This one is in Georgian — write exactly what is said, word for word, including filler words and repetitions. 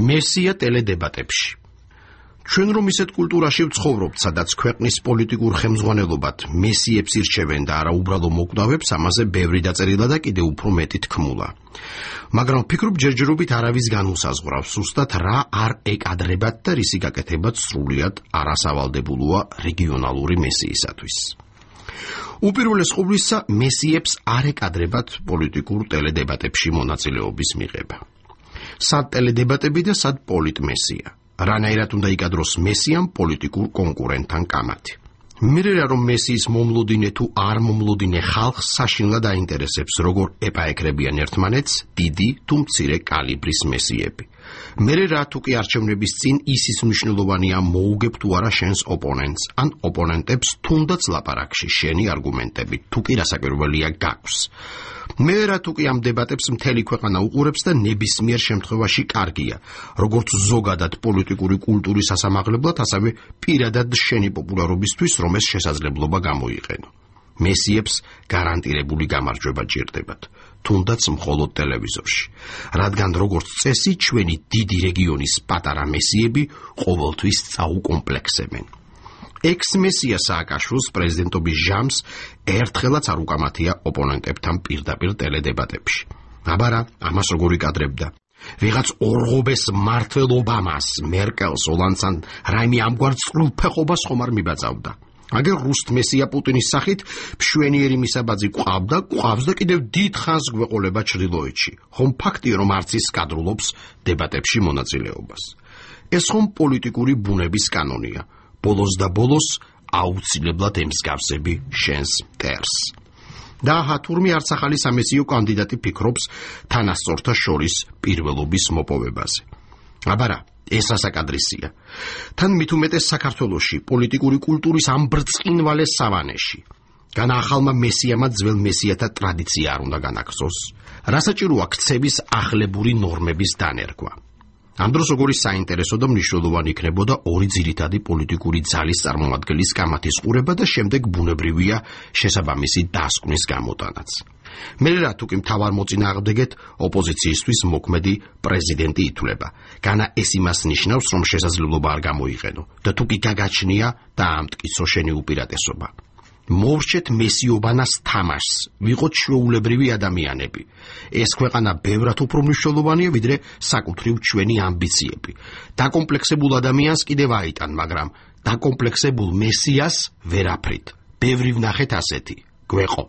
მესია ტელედებატებში. ჩვენ რომ ისეთ კულტურაში ვცხოვრობთ, სადაც ქვეყნის პოლიტიკურ ხელმძღვანელობად მესიებს ირჩევენ და არა უბრალო მოკვდავებს, ამაზე ბევრი დაწერილა და კიდევ უფრო მეტი თქმულა. მაგრამ ვფიქრობ, ჯერჯერობით არავის განუსაზღვრავს ზუსტად რა არ ეკადრებათ და რისი გაკეთებაც სრულიად არასავალდებულოა რეგიონალური მესიისათვის. უპირველეს ყოვლისა, მესიებს არ ეკადრებათ პოლიტიკურ ტელედებატებში მონაწილეობის მიღება. სად ტელედებატები და სად პოლიტმესია. რანაირად უნდა იკადროს მესიამ პოლიტიკურ კონკურენტთან კამათი. მერე რომ მესიის მომლოდინე თუ არ მომლოდინე ხალხს საშინლად აინტერესებს, როგორ ეპაეკრებიან ერთმანეთს დიდი თუ მცირე კალიბრის მესიები. მერე რა თუ კი არჩევნების წინ ისის მნიშვნელოვანია მოუგებ თუ არა შენს ოპონენტს, ან ოპონენტებს თუნდაც ლაპარაკში შენი არგუმენტებით, თუ კი რასაკვირველია გაქვს. მე რა თუ კი ამ დებატებს მთელი ქვეყანა უყურებს და ნებისმიერ შემთხვევაში კარგია, როგორც ზოგადად პოლიტიკური კულტურის სასამაღლებლად, ასევე პირადად შენი პოპულარობისთვის, რომ ეს შესაძლებლობა გამოიყენო. მესიებს გარანტირებული გამარჯვება ჭირდებათ, თუნდაც მხოლოდ ტელევიზორში, რადგან როგორც წესი, ჩვენი დიდი რეგიონის პატარა მესიები ყოველთვის წაუკომპლექსებენ. ექს-მესია სააკაშვილს პრეზიდენტობის ჟამს ერთხელაც არ უკამათია ოპონენტებთან პირდაპირ ტელედებატებში. აბარა, ამას როგორ იკადრებდა? ვიღაც ორღობეს მართლ ობამას, მერკელს, ოლანდს ან რაიმე ამგვარ წყლფეხობას ხომ არ მიბაძავდა. აგერ რუსთ მესია პუტინის სახით მშვენიერი მისაბაძი ყავდა, ყავს და კიდევ დიდ ხანს გვეყოლება ჩრდილოეთში. ხომ ფაქტია, რომ არც ის კადრულობს დებატებში მონაწილეობას. ეს ხომ პოლიტიკური ბუნების კანონია. ბოლოს და ბოლოს აუცილებლად ემსგავსები შენს მტერს. და აჰა, თურმე არც ახალი სამესიო კანდიდატი ფიქრობს თანასწორთა შორის პირველობის მოპოვებაზე. აბარა, ეს რასაკადრისია. თან მით უმეტეს საქართველოში, პოლიტიკური კულტურის ამ ბრწყინვალე სავანეში. განა ახალმა მესიამად ძველ მესიათა ტრადიცია არ უნდა განაგზოს. რასაჭიროა ქცევის ახლებური ნორმების დანერგვა. ამ დროს როგორი საინტერესო და მნიშვნელოვანი იქნებოდა ორი ძირითადი პოლიტიკური ძალის წარმომადგენლის კამათის ყურება და შემდეგ ბუნებრივია შესაბამისი დასკვნის გამოტანაც. მე რა თუ კი მთავარ მოწინააღმდეგეთ ოპოზიციისთვის მოქმედი პრეზიდენტი ითვლება. განა ეს იმას ნიშნავს, რომ შესაძლებლობა არ გამოიყენო და თუ კი გაგაჩნია დაამტკიცო შენი უპირატესობა. მოვრჩეთ მესიობანას თამაშს, ვიყოთ ჩვეულებრივი ადამიანები. ეს ქვეყანა ბევრად უფრო მნიშვნელოვანია, ვიდრე საკუთრივ ჩვენი ამბიციები. დაკომპლექსებულ ადამიანს კიდევ აიტან, მაგრამ დაკომპლექსებულ მესიას ვერაფრით. ბევრი ვნახეთ ასეთი. გვეყო.